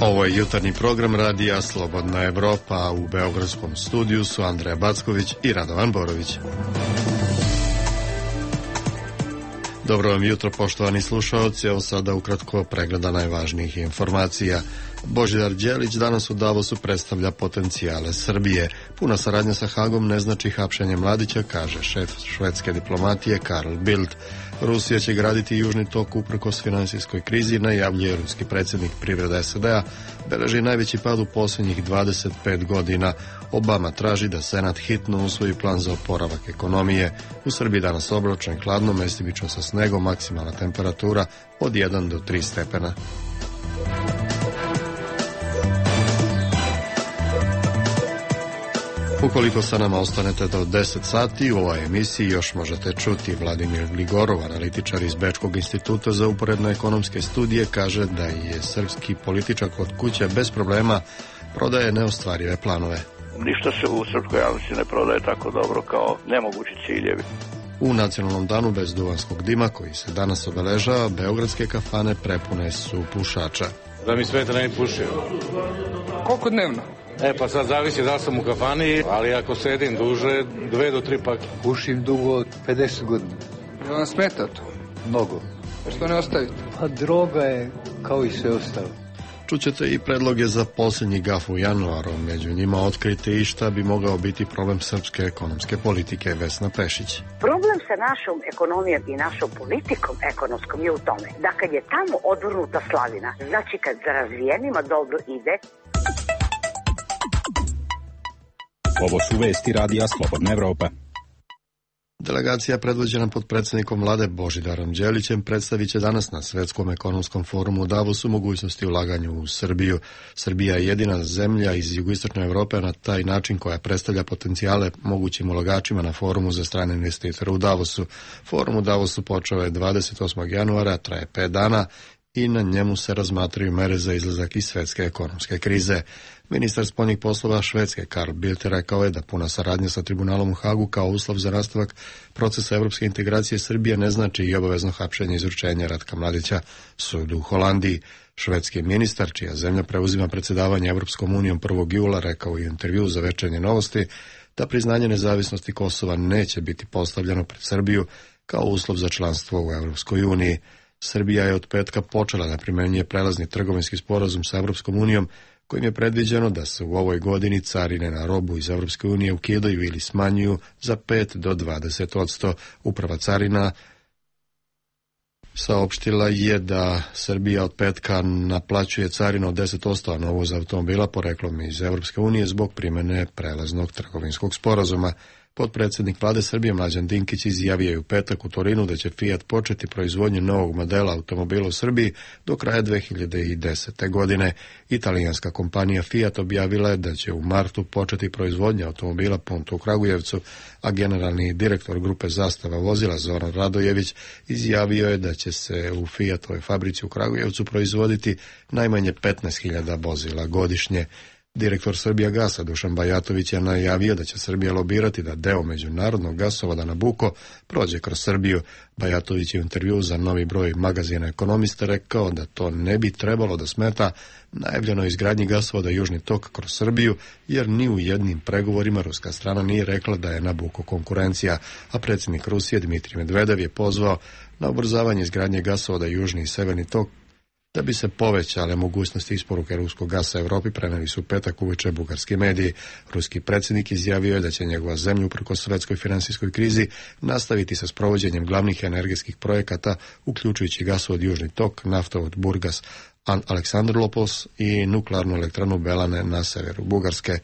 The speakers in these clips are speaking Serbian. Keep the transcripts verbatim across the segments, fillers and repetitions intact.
Ovo je jutarnji program radija Slobodna Evropa, a u beogradskom studiju su Andreja Backović i Radovan Borović. Dobro vam jutro, poštovani slušaoci, evo sada ukratko pregleda najvažnijih informacija. Božidar Đelić danas u Davosu predstavlja potencijale Srbije. Puna saradnja sa Hagom ne znači hapšenje Mladića, kaže šef švedske diplomatije Carl Bildt. Rusija će graditi južni tok uprkos finansijskoj krizi, najavljuje ruski predsjednik. Privreda S A D-a beleži najveći pad u posljednjih dvadeset pet godina. Obama traži da Senat hitno usvoji plan za oporavak ekonomije. U Srbiji danas oblačno i hladno, mestimično sa snegom, maksimalna temperatura od jedan do tri stepena. Ukoliko sa nama ostanete do deset sati, u ovoj emisiji još možete čuti Vladimir Gligorov, analitičar iz Bečkog instituta za uporedne ekonomske studije, kaže da je srpski političar kod kuće bez problema prodaje neostvarive planove. Ništa se u srpskoj javnosti ne prodaje tako dobro kao nemogući ciljevi. U nacionalnom danu bez duvanskog dima, koji se danas obeležava, beogradske kafane prepune su pušača. Da mi sveta ne pušio. Koliko dnevno? E pa sad zavisi da sam u kafani, ali ako sedim duže, dve do tri pake. Pušim dugo od pedeset godina. Je vam smeta to? Mnogo. A što ne ostavite? Pa droga je kao i sve ostalo. Čućete i predloge za posljednji gaf u januaru, među njima otkrite i šta bi mogao biti problem srpske ekonomske politike. Vesna Pešić. Problem sa našom ekonomijom i našom politikom ekonomskom je u tome da kad je tamo odvrnuta slavina, znači kad za razvijenima dobro ide. Ovo su vesti radija Slobodna Evropa. Delegacija predvođena potpredsjednikom vlade Božidarom Đelićem predstavit će danas na Svetskom ekonomskom forumu u Davosu mogućnosti ulaganja u Srbiju. Srbija je jedina zemlja iz jugoistočne Evrope na taj način koja predstavlja potencijale mogućim ulagačima na forumu za strane investitore u Davosu. Forum u Davosu počeo je dvadeset osmog januara, traje pet dana i na njemu se razmatraju mere za izlazak iz svetske ekonomske krize. Ministar spoljnih poslova Švedske Carl Bildt rekao je da puna saradnja sa tribunalom u Hagu kao uslov za nastavak procesa evropske integracije Srbije ne znači i obavezno hapšenje i izručenje Ratka Mladića sudu u Holandiji. Švedski ministar, čija zemlja preuzima predsjedavanje Evropskom unijom prvog jula, rekao u intervju za Večernje novosti da priznanje nezavisnosti Kosova neće biti postavljeno pred Srbiju kao uslov za članstvo u Evropskoj uniji. Srbija je od petka počela da primjenjuje prelazni trgovinski sporazum sa Evropskom unijom, kojim je predviđeno da se u ovoj godini carine na robu iz Evropske unije ukidaju ili smanjuju za pet do dvadeset odsto. Uprava carina saopštila je da Srbija od petka naplaćuje carinu od deset odsto na uvoz automobila poreklom iz Evropske unije zbog primjene prelaznog trgovinskog sporazuma. Potpredsjednik vlade Srbije Mlađan Dinkić izjavio je u petak u Torinu da će Fiat početi proizvodnju novog modela automobila u Srbiji do kraja dve hiljade desete. godine. Italijanska kompanija Fiat objavila je da će u martu početi proizvodnja automobila Punto u Kragujevcu, a generalni direktor grupe Zastava vozila Zoran Radojević izjavio je da će se u Fiatovoj fabrici u Kragujevcu proizvoditi najmanje petnaest hiljada vozila godišnje. Direktor Srbija Gasa Dušan Bajatović je najavio da će Srbija lobirati da deo međunarodnog gasovoda Nabucco prođe kroz Srbiju. Bajatović je u intervjuu za novi broj magazina Ekonomista rekao da to ne bi trebalo da smeta najavljenoj izgradnji gasovoda Južni tok kroz Srbiju, jer ni u jednim pregovorima ruska strana nije rekla da je Nabucco konkurencija, a predsjednik Rusije Dmitrij Medvedev je pozvao na ubrzavanje izgradnje gasovoda Južni i Severni tok da bi se povećale mogućnosti isporuke ruskog gasa Evropi, preneli su petak uveče bugarski mediji. Ruski predsjednik izjavio je da će njegova zemlja uprkos svetskoj finansijskoj krizi nastaviti sa sprovođenjem glavnih energetskih projekata, uključujući gasovod Južni tok, naftovod Burgas Aleksandropos i nuklearnu elektranu Belane na severu Bugarske.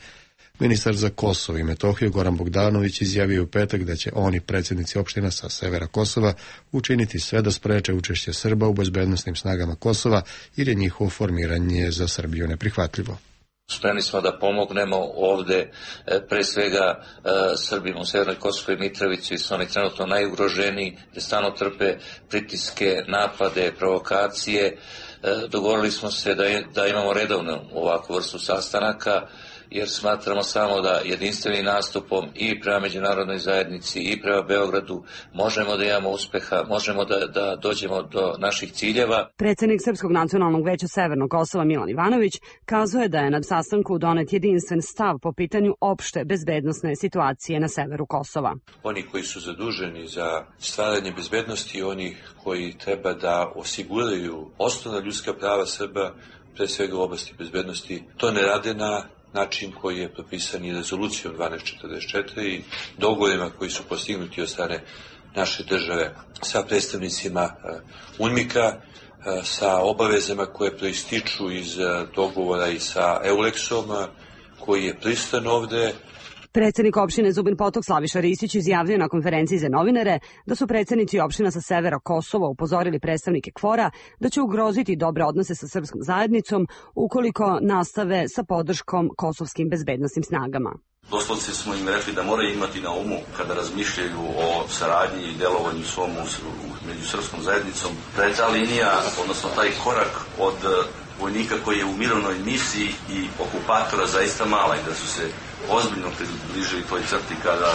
Ministar za Kosovo i Metohiju Goran Bogdanović izjavio u petak da će oni, predsjednici opština sa severa Kosova, učiniti sve da spreče učešće Srba u bezbednosnim snagama Kosova, jer je njihovo formiranje za Srbiju neprihvatljivo. Spremni smo da pomognemo ovde, pre svega Srbima u Severnoj Kosovskoj Mitrovici, su oni trenutno najugroženiji, gde stalno trpe pritiske, napade, provokacije. Dogovorili smo se da, je, da imamo redovnu ovakvu vrstu sastanaka jer smatramo samo da jedinstvenim nastupom i prema međunarodnoj zajednici i prema Beogradu možemo da imamo uspeha, možemo da, da dođemo do naših ciljeva. Predsednik Srpskog nacionalnog veća Severnog Kosova Milan Ivanović kazuje da je na sastanku donet jedinstven stav po pitanju opšte bezbednosne situacije na severu Kosova. Oni koji su zaduženi za stvaranje bezbednosti, oni koji treba da osiguraju osnovna ljudska prava Srba, pre svega u oblasti bezbednosti, to ne rade na način koji je propisan i rezolucijom dvanaest četrdeset četiri i dogovorima koji su postignuti od strane naše države sa predstavnicima UNMIK-a, sa obavezama koje proističu iz dogovora i sa Euleksom, koji je prisutan ovde. Predsednik opštine Zubin Potok Slaviša Ristić izjavio na konferenciji za novinare da su predsednici opština sa severa Kosova upozorili predstavnike KFOR-a da će ugroziti dobre odnose sa srpskom zajednicom ukoliko nastave sa podrškom kosovskim bezbednosnim snagama. Doslovce smo im rekli da moraju imati na umu kada razmišljaju o saradnji i delovanju svom među srpskom zajednicom, da je ta linija, odnosno taj korak od vojnika koji je u mirovnoj misiji i okupatora zaista mala i da su se ozbiljno približili toj crti kada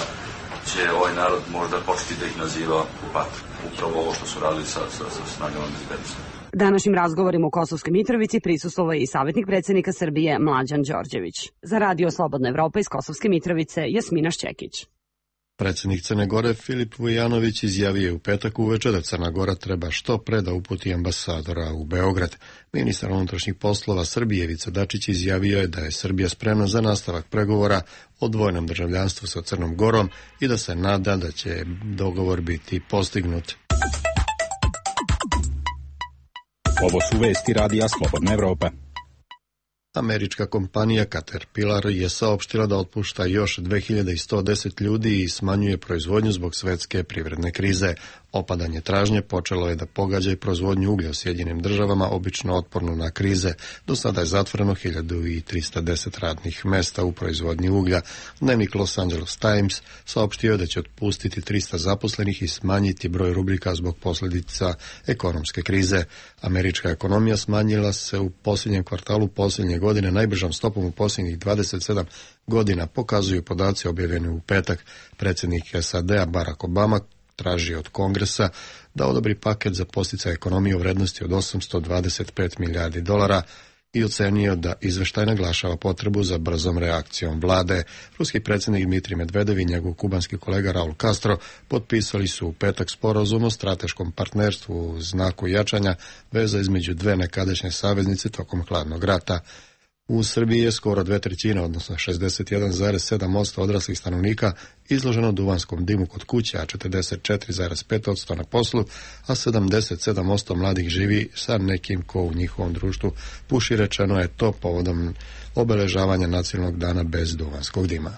će ovaj narod možda početi da ih naziva okupator. Upravo ovo što su radili sa, sa, sa snagama bezbednosti. Današnjim razgovorima u Kosovskoj Mitrovici prisustvovao je i savjetnik predsednika Srbije Mlađan Đorđević. Za Radio Slobodna Evropa iz Kosovske Mitrovice Jasmina Šćekić. Predsjednik Crne Gore Filip Vujanović izjavio je u petak uveče da Crna Gora treba što pre da uputi ambasadora u Beograd. Ministar unutrašnjih poslova Srbije Ivica Dačić izjavio je da je Srbija spremna za nastavak pregovora o dvojnom državljanstvu sa Crnom Gorom i da se nada da će dogovor biti postignut. Ovo su vesti Radija Slobodna Evropa. Američka kompanija Caterpillar je saopštila da otpušta još dve hiljade sto deset ljudi i smanjuje proizvodnju zbog svetske privredne krize. Opadanje tražnje počelo je da pogađa i proizvodnju uglja u Sjedinjenim državama, obično otporno na krize. Do sada je zatvoreno hiljadu trista deset radnih mesta u proizvodnji uglja. Dnevnik Los Angeles Times saopštio je da će otpustiti trista zaposlenih i smanjiti broj rubrika zbog posljedica ekonomske krize. Američka ekonomija smanjila se u posljednjem kvartalu posljednje godine najbržom stopom u posljednjih dvadeset sedam godina, pokazuju podaci objavljeni u petak. Predsjednik S A D-a Barack Obama traži od Kongresa da odobri paket za podsticaj ekonomije u vrednosti od osamsto dvadeset pet milijardi dolara i ocenio da izveštaj naglašava potrebu za brzom reakcijom vlade. Ruski predsjednik Dmitrij Medvedev i njegov kubanski kolega Raul Castro potpisali su u petak sporazum o strateškom partnerstvu u znaku jačanja veza između dve nekadašnje saveznice tokom hladnog rata. U Srbiji je skoro dve trećine, odnosno šezdeset jedan zarez sedam posto odraslih stanovnika izloženo duvanskom dimu kod kuće, a četrdeset četiri zarez pet posto na poslu, a sedamdeset sedam posto mladih živi sa nekim ko u njihovom društvu puši, rečeno je to povodom obeležavanja nacionalnog dana bez duvanskog dima.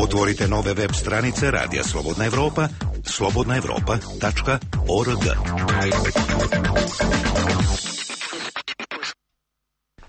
Otvorite nove web stranice Radija Slobodna Evropa, slobodna evropa tačka org.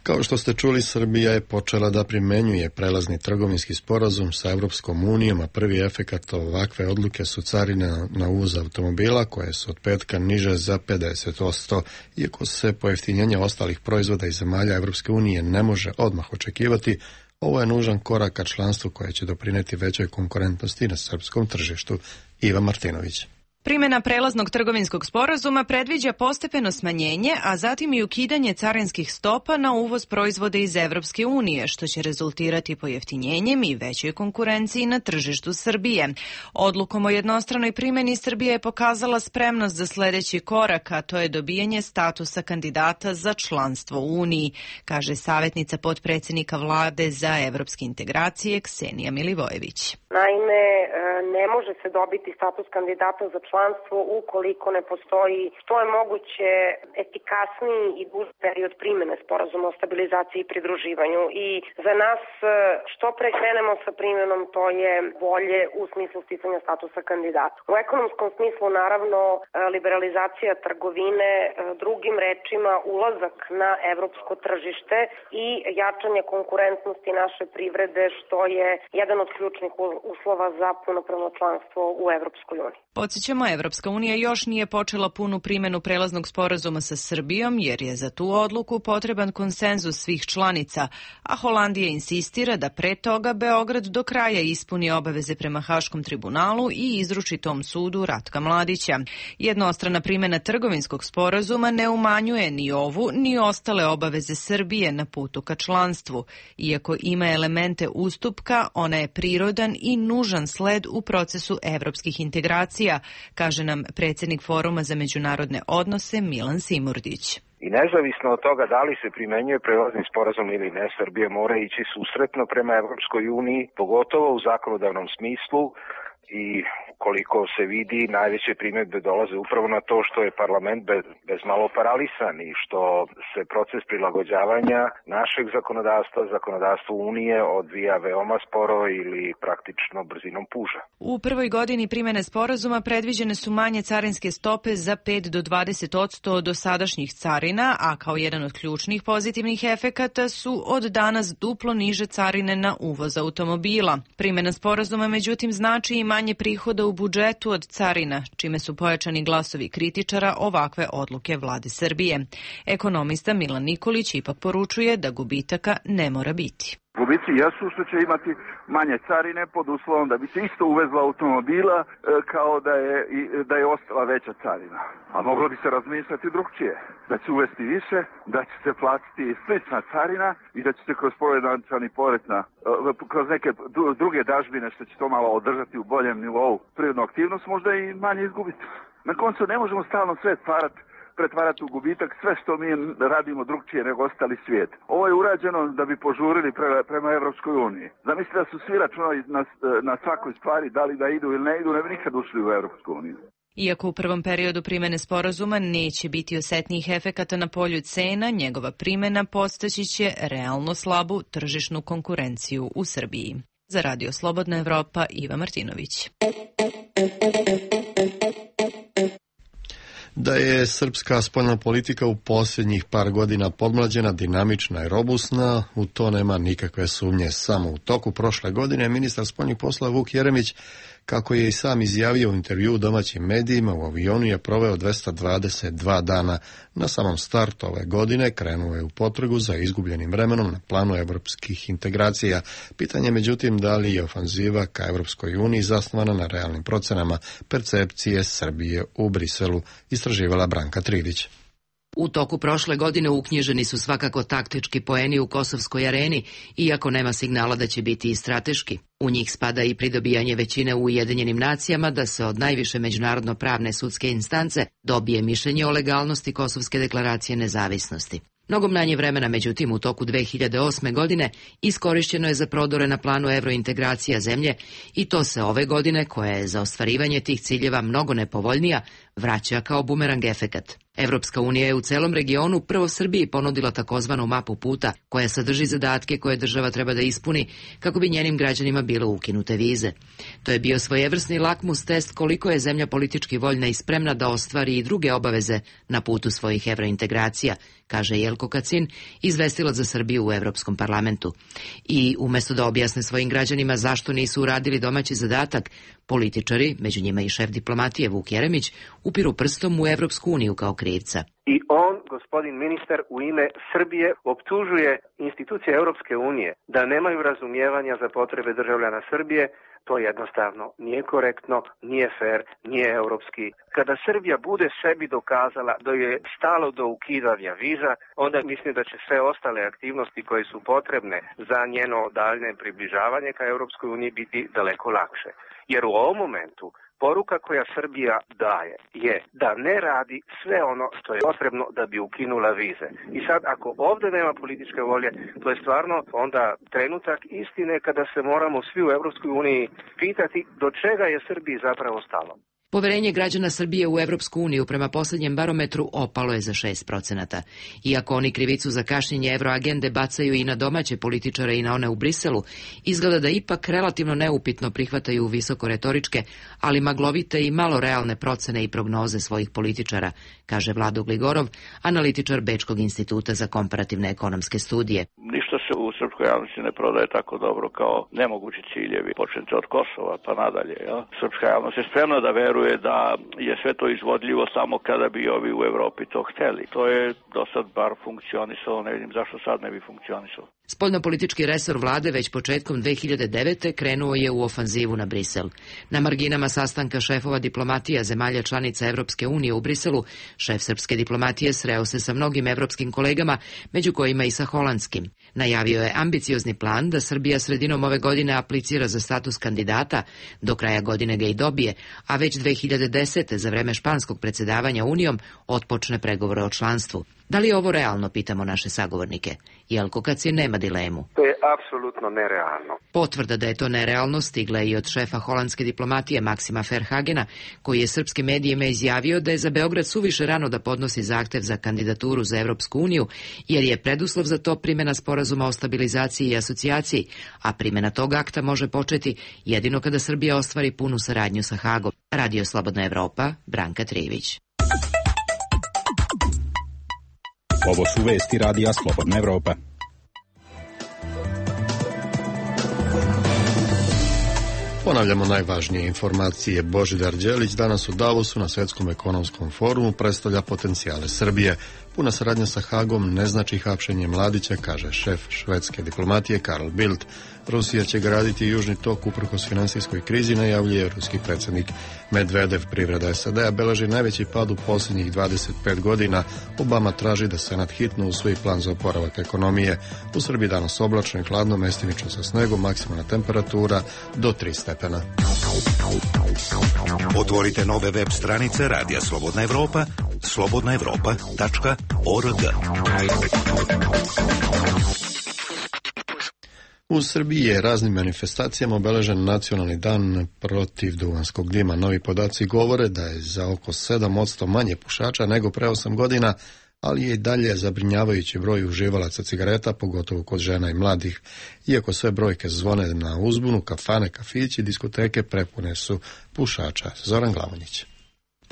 Kao što ste čuli, Srbija je počela da primenjuje prelazni trgovinski sporazum sa Evropskom unijom, a prvi efekat ovakve odluke su carine na uvoz automobila, koje su od petka niže za pedeset posto. Iako se pojeftinjenje ostalih proizvoda iz zemalja Evropske unije ne može odmah očekivati, ovo je nužan korak ka članstvu koje će doprineti većoj konkurentnosti na srpskom tržištu. Iva Martinović. Primjena prelaznog trgovinskog sporazuma predviđa postepeno smanjenje, a zatim i ukidanje carinskih stopa na uvoz proizvoda iz Evropske unije, što će rezultirati pojeftinjenjem i većoj konkurenciji na tržištu Srbije. Odlukom o jednostranoj primjeni Srbija je pokazala spremnost za sledeći korak, a to je dobijanje statusa kandidata za članstvo u Uniji, kaže savjetnica potpredsjednika vlade za evropske integracije Ksenija Milivojević. Naime, ne može se dobiti status kandidata za članstvo ukoliko ne postoji što je moguće efikasniji i duži period primjene sporazuma o stabilizaciji i pridruživanju. I za nas što pre krenemo sa primjenom, to je bolje u smislu sticanja statusa kandidata. U ekonomskom smislu, naravno, liberalizacija trgovine, drugim rečima ulazak na evropsko tržište i jačanje konkurentnosti naše privrede, što je jedan od ključnih uslova za punopravno članstvo u Evropskoj uniji. Podsjećamo dodamo, Evropska unija još nije počela punu primjenu prelaznog sporazuma sa Srbijom, jer je za tu odluku potreban konsenzus svih članica, a Holandija insistira da pre toga Beograd do kraja ispuni obaveze prema Haškom tribunalu i izruči tom sudu Ratka Mladića. Jednostrana primjena trgovinskog sporazuma ne umanjuje ni ovu, ni ostale obaveze Srbije na putu ka članstvu. Iako ima elemente ustupka, ona je prirodan i nužan sled u procesu evropskih integracija, kaže nam predsjednik Foruma za međunarodne odnose Milan Simurdić. I nezavisno od toga da li se primenjuje prelazni sporazum ili ne, Srbija mora ići susretno prema Evropskoj uniji, pogotovo u zakonodavnom smislu, i koliko se vidi, najveće primjedbe dolaze upravo na to što je parlament bez, bez malo paralisan i što se proces prilagođavanja našeg zakonodavstva, zakonodavstvu Unije odvija veoma sporo ili praktično brzinom puža. U prvoj godini primjene sporazuma predviđene su manje carinske stope za pet do dvadeset odsto od dosadašnjih carina, a kao jedan od ključnih pozitivnih efekata su od danas duplo niže carine na uvoz automobila. Primjena sporazuma međutim znači i manje prihoda u budžetu od carina, čime su pojačani glasovi kritičara ovakve odluke vlade Srbije. Ekonomista Milan Nikolić ipak poručuje da gubitaka ne mora biti. Gubici jesu što će imati manje carine pod uslovom da bi se isto uvezlo automobila e, kao da je, da je ostala veća carina. A moglo bi se razmišljati drugčije. Da će uvesti više, da će se platiti slična carina i da će se kroz povećani porez na, kroz neke druge dažbine što će to malo održati u boljem nivou privrednu aktivnost, možda i manje izgubiti. Na koncu ne možemo stalno sve stvarati pretvarati u gubitak sve što mi radimo drugčije nego ostali svijet. Ovo je urađeno da bi požurili pre, prema Evropskoj uniji. Zamislite da su svi računali na, na svakoj stvari, da li da idu ili ne idu, ne bi nikad ušli u Evropsku uniju. Iako u prvom periodu primjene sporazuma neće biti osetnijih efekata na polju cena, njegova primjena postaći će realno slabu tržišnu konkurenciju u Srbiji. Za Radio Slobodna Evropa, Iva Martinović. Da je srpska spoljna politika u posljednjih par godina podmlađena, dinamična i robusna, u to nema nikakve sumnje. Samo u toku prošle godine ministar spoljnih poslova Vuk Jeremić, kako je i sam izjavio u intervjuu domaćim medijima, u avionu je proveo dvesta dvadeset dva dana. Na samom startu ove godine krenuo je u potragu za izgubljenim vremenom na planu evropskih integracija. Pitanje međutim da li je ofanziva ka Evropskoj uniji zasnovana na realnim procenama percepcije Srbije u Briselu, istraživala Branka Tridić. U toku prošle godine uknjiženi su svakako taktički poeni u kosovskoj areni, iako nema signala da će biti i strateški. U njih spada i pridobijanje većine u Ujedinjenim nacijama da se od najviše međunarodno pravne sudske instance dobije mišljenje o legalnosti Kosovske deklaracije nezavisnosti. Mnogo manje vremena, međutim, u toku dve hiljade osme. godine iskorišćeno je za prodore na planu evrointegracija zemlje i to se ove godine, koja je za ostvarivanje tih ciljeva mnogo nepovoljnija, vraća kao bumerang efekat. Evropska unija je u celom regionu prvo Srbiji ponudila takozvanu mapu puta, koja sadrži zadatke koje država treba da ispuni kako bi njenim građanima bile ukinute vize. To je bio svojevrsni lakmus test koliko je zemlja politički voljna i spremna da ostvari i druge obaveze na putu svojih evrointegracija, kaže Jelko Kacin, izvestilac za Srbiju u Evropskom parlamentu. I umjesto da objasne svojim građanima zašto nisu uradili domaći zadatak, političari, među njima i šef diplomatije Vuk Jeremić, upiru prstom u Evropsku uniju kao krivca. I on, gospodin ministar, u ime Srbije optužuje institucije Europske unije da nemaju razumijevanja za potrebe državljana Srbije. To jednostavno nije korektno, nije fair, nije europski. Kada Srbija bude sebi dokazala da je stalo do ukidanja viza, onda mislim da će sve ostale aktivnosti koje su potrebne za njeno daljne približavanje ka Europskoj uniji biti daleko lakše. Jer u ovom momentu poruka koja Srbija daje je da ne radi sve ono što je potrebno da bi ukinula vize. I sad ako ovdje nema političke volje, to je stvarno onda trenutak istine kada se moramo svi u Evropskoj uniji pitati do čega je Srbiji zapravo stalo. Poverenje građana Srbije u Evropsku uniju prema posljednjem barometru opalo je za šest procenata. Iako oni krivicu za kašnjenje evroagende bacaju i na domaće političare i na one u Briselu, izgleda da ipak relativno neupitno prihvataju visoko retoričke, ali maglovite i malo realne procene i prognoze svojih političara, kaže Vlado Gligorov, analitičar Bečkog instituta za komparativne ekonomske studije. Ništa se u srpskoj javnosti ne prodaje tako dobro kao nemogući ciljevi, počnete od Kosova pa nadalje. Ja? Srpska javnost je spremna da veruje dokazuje da je sve to izvodljivo samo kada bi ovi u Evropi to hteli. To je do sad bar funkcionisalo, ne vidim zašto sad ne bi funkcionisalo. Spoljnopolitički resor vlade već početkom dve hiljade devete. krenuo je u ofanzivu na Brisel. Na marginama sastanka šefova diplomatija zemalja članica Evropske unije u Briselu, šef srpske diplomatije sreo se sa mnogim evropskim kolegama, među kojima i sa holandskim. Najavio je ambiciozni plan da Srbija sredinom ove godine aplicira za status kandidata, do kraja godine ga i dobije, a već dve hiljade desete. za vreme španskog predsjedavanja Unijom otpočne pregovore o članstvu. Da li je ovo realno, pitamo naše sagovornike? Jelko Kacin nema dilemu. To je apsolutno nerealno. Potvrda da je to nerealno stigla je i od šefa holandske diplomatije Maksima Verhagena, koji je srpskim medijima izjavio da je za Beograd suviše rano da podnosi zahtev za kandidaturu za Evropsku uniju, jer je preduslov za to primjena sporazuma o stabilizaciji i asocijaciji, a primjena tog akta može početi jedino kada Srbija ostvari punu saradnju sa Hagom. Radio Slobodna Evropa, Branka Trijević. Ovo su vesti Radija Slobodna Evropa. Ponavljamo najvažnije informacije. Božidar Đelić danas u Davosu na Svjetskom ekonomskom forumu predstavlja potencijale Srbije. Puna saradnja sa Hagom ne znači hapšenje Mladića, kaže šef švedske diplomatije Carl Bildt. Rusija će graditi južni tok uprkos finansijskoj krizi, najavljuje ruski predsjednik Medvedev. Privreda S A D-a beleži najveći pad u posljednjih dvadeset pet godina. Obama traži da Senat hitno usvoji plan za oporavak ekonomije. U Srbiji danas oblačno i hladno, mestimično sa snegom, maksimalna temperatura do tri stepena. Otvorite nove web stranice Radija Slobodna Evropa, slobodna evropa tačka org. U Srbiji je raznim manifestacijama obeležen nacionalni dan protiv duvanskog dima. Novi podaci govore da je za oko sedam posto manje pušača nego pre osam godina, ali je i dalje zabrinjavajući broj uživalaca cigareta, pogotovo kod žena i mladih. Iako sve brojke zvone na uzbunu, kafane, kafići, diskoteke prepune su pušača. Zoran Glavonjić.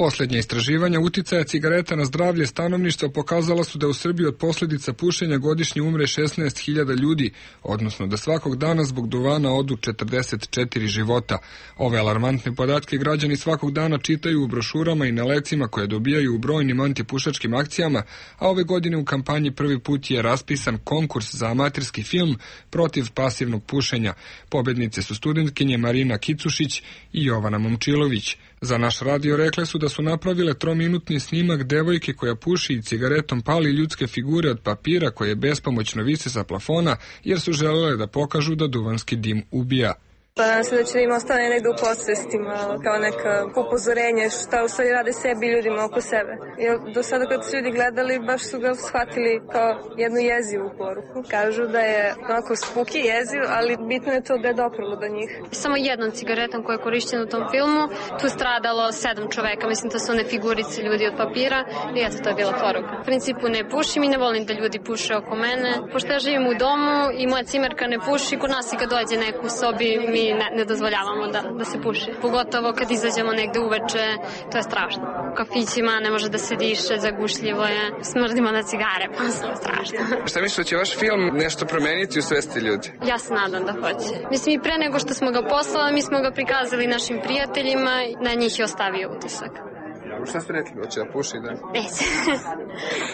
Posljednje istraživanja uticaja cigareta na zdravlje stanovništva pokazala su da u Srbiji od posljedica pušenja godišnje umre šesnaest hiljada ljudi, odnosno da svakog dana zbog duvana odu četrdeset četiri života. Ove alarmantne podatke građani svakog dana čitaju u brošurama i na lecima koje dobijaju u brojnim antipušačkim akcijama, a ove godine u kampanji prvi put je raspisan konkurs za amaterski film protiv pasivnog pušenja. Pobednice su studentkinje Marina Kicušić i Jovana Momčilović. Za naš radio rekle su da su napravile trominutni snimak devojke koja puši i cigaretom pali ljudske figure od papira koje bespomoćno vise sa plafona, jer su želele da pokažu da duvanski dim ubija. Pa nadam se da će da im ostane negdje u podsvestima, kao neka upozorenje šta u stvari rade sebi i ljudima oko sebe. Jer do sada kad su ljudi gledali, baš su ga shvatili kao jednu jezivu poruku. Kažu da je onako spuki jeziv, ali bitno je to da je doprlo do njih. Samo jednom cigaretom koja je korišćena u tom filmu, tu stradalo sedam čoveka, mislim to su one figurice ljudi od papira i eto to je bila poruka. U principu ne pušim i ne volim da ljudi puše oko mene. Pošto ja živim u domu i moja cimerka ne puši, kod nas i kad dođe neko u sobi mi Ne, ne dozvoljavamo da, da se puši. Pogotovo kad izađemo negde uveče, to je strašno. U kafićima ne može da se diše, zagušljivo je, smrdimo na cigare, pa je strašno. Šta misliš da će vaš film nešto promeniti u svesti ljudi? Ja se nadam da hoće. Mislim i pre nego što smo ga poslali, mi smo ga prikazali našim prijateljima, na njih je ostavio utisak. Šta ste rekli, hoće da puši da? Neće.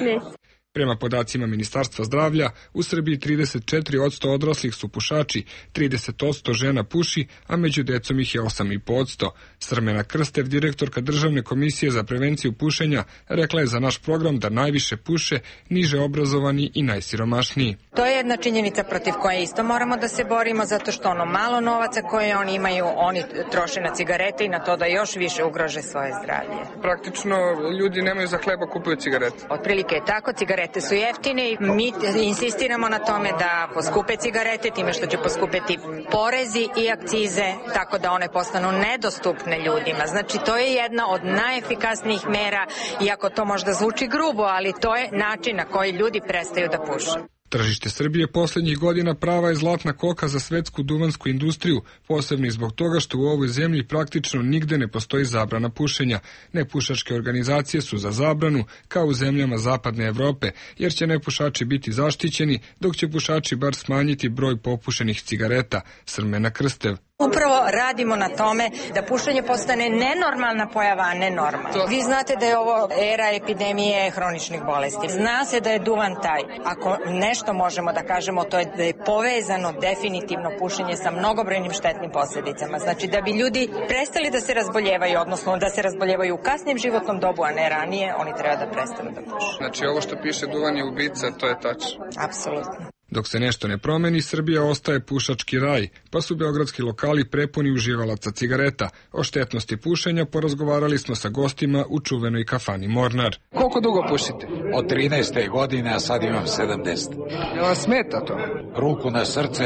Neće. Prema podacima Ministarstva zdravlja, u Srbiji trideset četiri posto odraslih su pušači, trideset posto žena puši, a među decom ih je osam i po posto. Srmena Krstev, direktorka Državne komisije za prevenciju pušenja, rekla je za naš program da najviše puše niže obrazovani i najsiromašniji. To je jedna činjenica protiv koje isto moramo da se borimo, zato što ono malo novaca koje oni imaju, oni troše na cigarete i na to da još više ugrože svoje zdravlje. Praktično ljudi nemaju za hleba, kupuju cigarete. Otprilike je tako, cigarete su jeftine i mi insistiramo na tome da poskupe cigarete time što će poskupeti porezi i akcize, tako da one postanu nedostupne ljudima. Znači to je jedna od najefikasnijih mera, iako to možda zvuči grubo, ali to je način na koji ljudi prestaju da puše. Tržište Srbije posljednjih godina prava je zlatna koka za svetsku duvansku industriju, posebno i zbog toga što u ovoj zemlji praktično nigde ne postoji zabrana pušenja. Nepušačke organizacije su za zabranu, kao u zemljama zapadne Evrope, jer će nepušači biti zaštićeni, dok će pušači bar smanjiti broj popušenih cigareta. Srmena Krstev. Upravo radimo na tome da pušenje postane nenormalna pojava, a ne normalna. Vi znate da je ovo era epidemije hroničnih bolesti. Zna se da je duvan taj. Ako nešto možemo da kažemo, to je da je povezano definitivno pušenje sa mnogobrojnim štetnim posljedicama. Znači da bi ljudi prestali da se razboljevaju, odnosno da se razboljevaju u kasnijem životnom dobu, a ne ranije, oni treba da prestanu da puše. Znači ovo što piše duvan je ubica, to je tačno. Apsolutno. Dok se nešto ne promeni, Srbija ostaje pušački raj, pa su beogradski lokali prepuni uživalaca cigareta. O štetnosti pušenja porazgovarali smo sa gostima u čuvenoj kafani Mornar. Koliko dugo pušite? Od trinaeste godine, a sad imam sedamdeset. Je vam smeta to? Ruku na srce,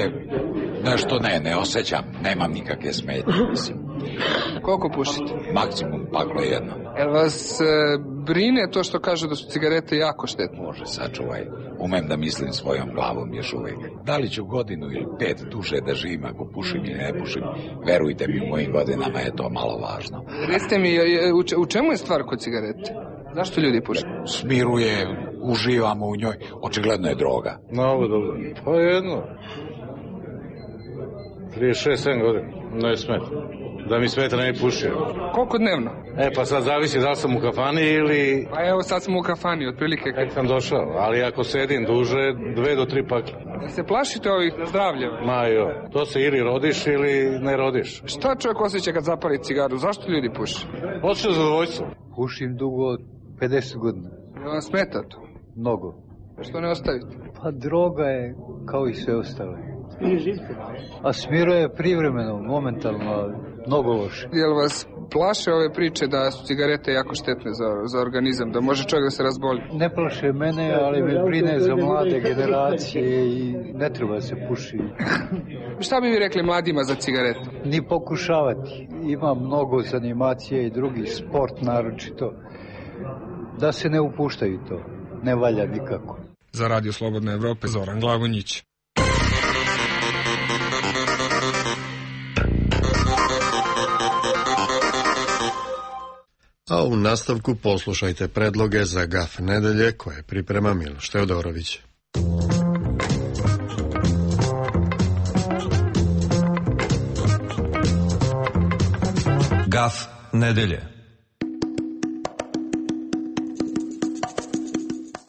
nešto ne, ne osjećam, nemam nikakve smetnje, mislim. Koliko pušite? Maksimum paklo jedno. Jel vas e, brine to što kažu da su cigarete jako štetne? Može, sačuvaj. Umem da mislim svojom glavom još uvijek. Da li ću godinu ili pet duže da živim ako pušim ili ne pušim, verujte mi, u mojim godinama je to malo važno. Recite mi, u čemu je stvar kod cigarete? Zašto ljudi puše? Smiruje, uživamo u njoj, očigledno je droga. No, ovo dobro. Pa jedno. trideset šest sedam godina. Ne smeta. Da mi smeta ne pušio. Koliko dnevno? E, pa sad zavisi da li sam u kafani ili... Pa evo sad smo u kafani, otprilike... Kad sam došao, ali ako sedim duže, dve do tri pakle. Da se plašite ovih zdravlja? Ma jo, to se ili rodiš ili ne rodiš. Šta čovjek osjeća kad zapali cigaru? Zašto ljudi puše? Osjeća zadovoljstvo. Pušim dugo od pedeset godina. Je vam smeta to? Mnogo. Što ne ostavite? Pa droga je kao i sve ostale. A smiruje privremeno, momentalno, mnogo loše. Jel vas plaše ove priče da su cigarete jako štetne za, za organizam, da može čovjek da se razboli? Ne plaše mene, ali me brine za mlade generacije i ne treba se puši. Šta bi vi rekli mladima za cigarete? Ni pokušavati. Ima mnogo zanimacija i drugi sport naročito. Da se ne upuštaju to. Ne valja nikako. Za Radio Slobodne Evrope, Zoran Glavonjić. A u nastavku poslušajte predloge za gaf nedelje koje priprema Miloš Teodorović. Gaf nedelje.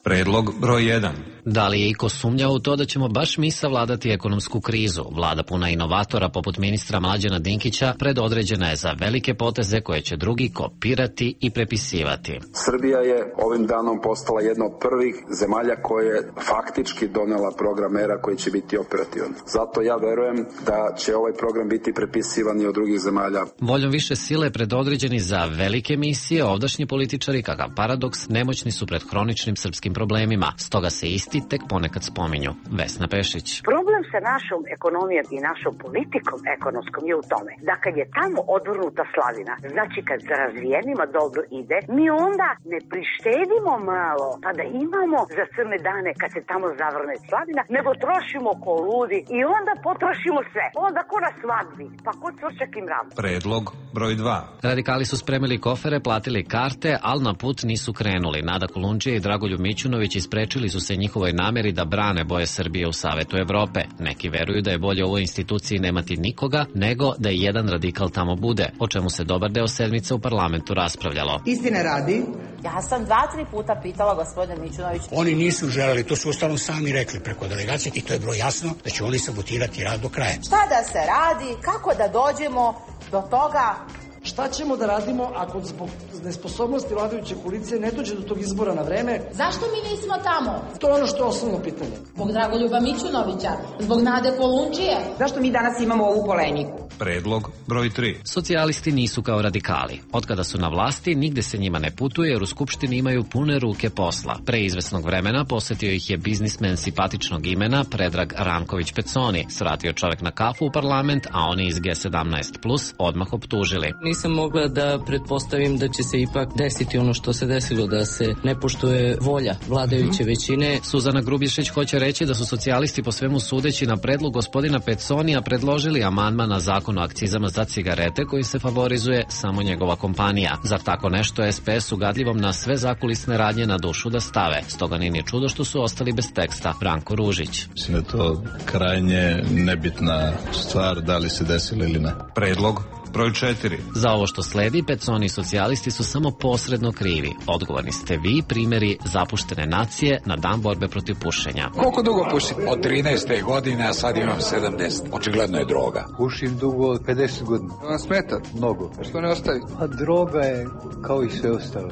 Predlog broj jedan. Da li je iko sumnjao u to da ćemo baš mi savladati ekonomsku krizu? Vlada puna inovatora poput ministra Mlađana Dinkića predodređena je za velike poteze koje će drugi kopirati i prepisivati. Srbija je ovim danom postala jedna od prvih zemalja koje je faktički donela program mera koji će biti operativan. Zato ja verujem da će ovaj program biti prepisivan i od drugih zemalja. Voljom više sile predodređeni za velike misije, ovdašnji političari, kakav paradoks, nemoćni su pred hroničnim srpskim problemima. Stoga se isti tek ponekad spominju. Vesna Pešić. Problem sa našom ekonomijom i našom politikom ekonomskom je u tome da kad je tamo odvrnuta slavina, znači kad za razvijenima dobro ide, mi onda ne prištedimo malo pa da imamo za crne dane kad se tamo zavrne slavina, nego trošimo ko ludi i onda potrošimo sve. Onda ko na svadbi, pa ko cvrčak i mrav. Predlog broj dva. Radikali su spremili kofere, platili karte, ali na put nisu krenuli. Nada Kolundžija i Dragoljub Mićunović isprečili su se njihovoj nameri da brane boje Srbije u Savetu Evrope. Neki veruju da je bolje u ovoj instituciji nemati nikoga, nego da i jedan radikal tamo bude, o čemu se dobar deo sedmice u parlamentu raspravljalo. Istine radi. Ja sam dva, tri puta pitala gospodina Mićunović. Oni nisu želeli, to su uostalom sami rekli preko delegacije i to je bilo jasno da će oni sabotirati rad do kraja. Šta da se radi, kako da dođemo do toga? Šta ćemo da radimo ako zbog nesposobnosti vladajuće koalicije ne dođe do tog izbora na vreme? Zašto mi nismo tamo? To je ono što je osnovno pitanje. Zbog Dragoljuba Mićunovića, zbog Nade Kolundžije. Zašto mi danas imamo ovu polemiku? Predlog broj tri. Socijalisti nisu kao radikali. Otkada su na vlasti, nigde se njima ne putuje jer u Skupštini imaju pune ruke posla. Pre izvesnog vremena posetio ih je biznismen simpatičnog imena Predrag Ranković Peconi. Svratio čovek na kafu u parlament, a oni iz G sedamnaest plus odmah optužili. Nisam mogla da pretpostavim da će se ipak desiti ono što se desilo, da se ne poštuje volja vladajuće većine. Suzana Grubješić hoće reći da su socijalisti po svemu sudeći na predlog gospodina Peconija predložili amandman na zakon zakon o akcizama za cigarete koji se favorizuje samo njegova kompanija. Zar tako nešto S P S ugadljivom na sve zakulisne radnje na dušu da stave? Stoga nije ni čudo što su ostali bez teksta. Branko Ružić. Mislim da je to krajnje nebitna stvar, da li se desilo ili ne. Predlog broj četiri. Za ovo što sledi, Peconi i socijalisti su samo posredno krivi. Odgovorni ste vi, primjeri zapuštene nacije na dan borbe protiv pušenja. Koliko dugo pušim? Od trinaeste godine, a sad imam sedamdeset. Očigledno je droga. Pušim dugo od pedeset godina. Vam smeta? Mnogo. Što ne ostavi? A droga je kao i sve ostale.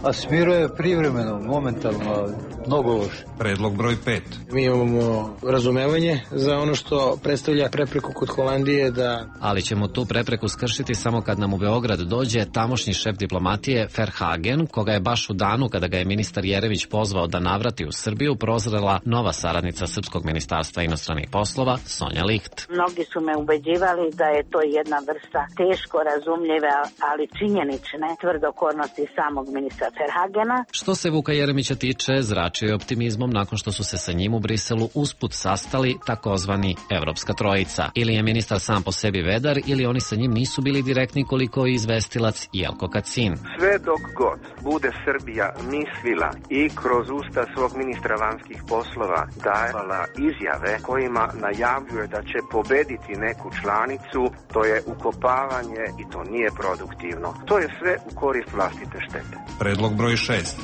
A smiruje privremeno, momentalno, mnogo loše. Predlog broj pet. Mi imamo razumevanje za ono što predstavlja prepreku kod Holandije da... Ali ćemo tu prepreku skršiti samo kad nam u Beograd dođe tamošnji šef diplomatije Verhagen, koga je baš u danu kada ga je ministar Jerević pozvao da navrati u Srbiju prozrela nova saradnica Srpskog ministarstva inostranih poslova, Sonja Licht. Mnogi su me ubeđivali da je to jedna vrsta teško razumljive, ali činjenične tvrdokornosti samog ministra Verhagena. Što se Vuka Jeremića tiče, zračio je optimizmom nakon što su se sa njim u Briselu usput sastali takozvani Evropska trojica. Ili je ministar sam po sebi vedar, ili oni sa njim nisu bili direktni koliko je izvestilac Jelko Kacin. Sve dok god bude Srbija mislila i kroz usta svog ministra vanjskih poslova davala izjave kojima najavljuje da će pobediti neku članicu, to je ukopavanje i to nije produktivno. To je sve u korist vlastite štete. Predlog broj šest.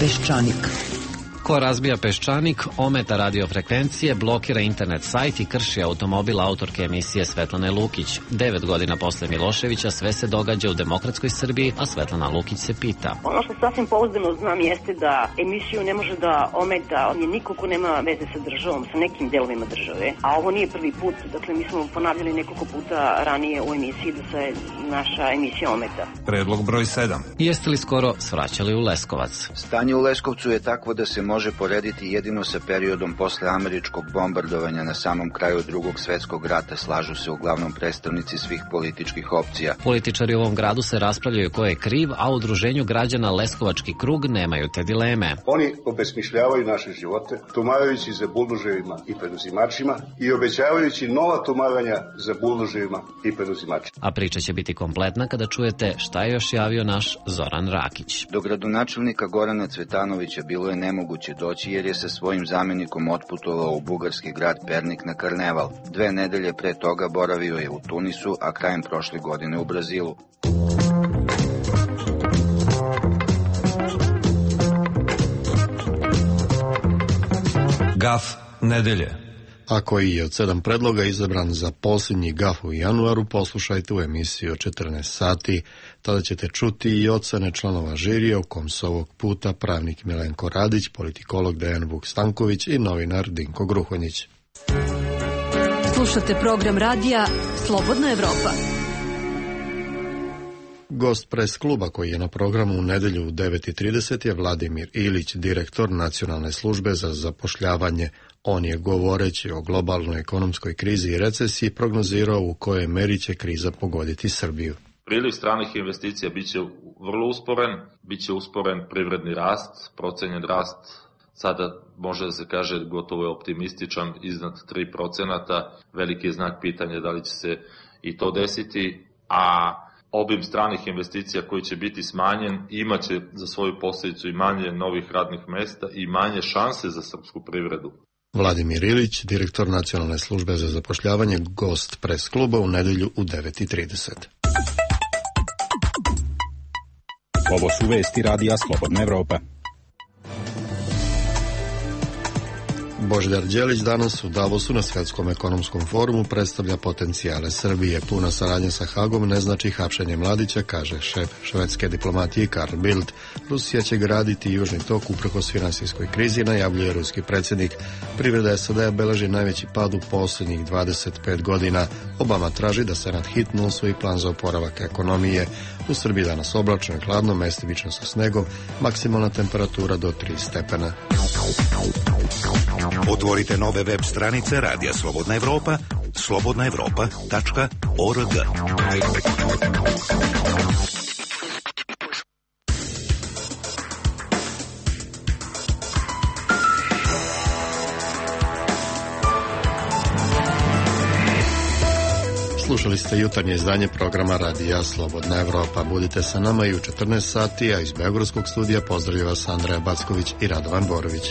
Peščanik. Ko razbija Peščanik, ometa radiofrekvencije, blokira internet sajt i krši automobil autorke emisije Svetlane Lukić. Devet godina posle Miloševića sve se događa u demokratskoj Srbiji, a Svetlana Lukić se pita. Ono što sasvim pouzdano znam jeste da emisiju ne može da ometa niko ko nema veze sa državom, sa nekim delovima države. A ovo nije prvi put, dakle mi smo ponavljali nekoliko puta ranije u emisiji da se naša emisija ometa. Predlog broj sedam. Jeste li skoro svraćali u Leskovac? Stanje u Leskovcu je takvo da se može porediti jedino sa periodom posle američkog bombardovanja na samom kraju Drugog svetskog rata, slažu se uglavnom predstavnici svih političkih opcija. Političari u ovom gradu se raspravljaju ko je kriv, a u udruženju građana Leskovački krug nemaju te dileme. Oni obesmišljavaju naše živote, tumarajući za buldoževima i preduzimačima i obećavajući nova tumaranja za buldoževima i preduzimačima. A priča će biti kompletna kada čujete šta je još javio naš Zoran Rakić. Do gradonačelnika Gorana Cvetanovića bilo je nemoguće doći jer je sa svojim zamenikom otputovao u bugarski grad Pernik na karneval. Dve nedelje pre toga boravio je u Tunisu, a krajem prošle godine u Brazilu. Gaf nedelje. A koji je od sedam predloga izabran za posljednji gaf u januaru, poslušajte u emisiji od četrnaest sati. Tada ćete čuti i ocene članova žirija, u kom su ovog puta pravnik Milenko Radić, politikolog Dejan Vuk Stanković i novinar Dinko Gruhonjić. Slušate program radija Slobodna Evropa. Gost pres kluba koji je na programu u nedelju u devet i trideset je Vladimir Ilić, direktor Nacionalne službe za zapošljavanje. On je, govoreći o globalnoj ekonomskoj krizi i recesiji, prognozirao u kojoj meri će kriza pogoditi Srbiju. Priliv stranih investicija biće vrlo usporen, biće usporen privredni rast, procenjen rast sada može da se kaže gotovo je optimističan, iznad tri procenta. Veliki je znak pitanja da li će se i to desiti, a obim stranih investicija koji će biti smanjen imaće za svoju posljedicu i manje novih radnih mesta i manje šanse za srpsku privredu. Vladimir Ilić, direktor Nacionalne službe za zapošljavanje, gost pres kluba u nedelju u devet i trideset. Ovo su vesti radija Slobodna Evropa. Božidar Đelić danas u Davosu na Svetskom ekonomskom forumu predstavlja potencijale Srbije. Puna saradnja sa Hagom ne znači hapšenje Mladića, kaže šef švedske diplomatije Carl Bildt. Rusija će graditi Južni tok uprkos finansijskoj krizi, najavljuje ruski predsjednik. Privreda S A D-a beleži najveći pad u posljednjih dvadeset pet godina. Obama traži da Senat hitno usvoji plan za oporavak ekonomije. U Srbiji danas oblačno i hladno, mestimično sa snegom, maksimalna temperatura do tri stepena. Otvorite nove web stranice Radija Slobodna Evropa, slobodna evropa tačka org. Slušali ste jutarnje izdanje programa Radija Slobodna Evropa. Budite sa nama i u četrnaest sati, a iz Beogradskog studija pozdravlja vas Andreja Backović i Radovan Borović.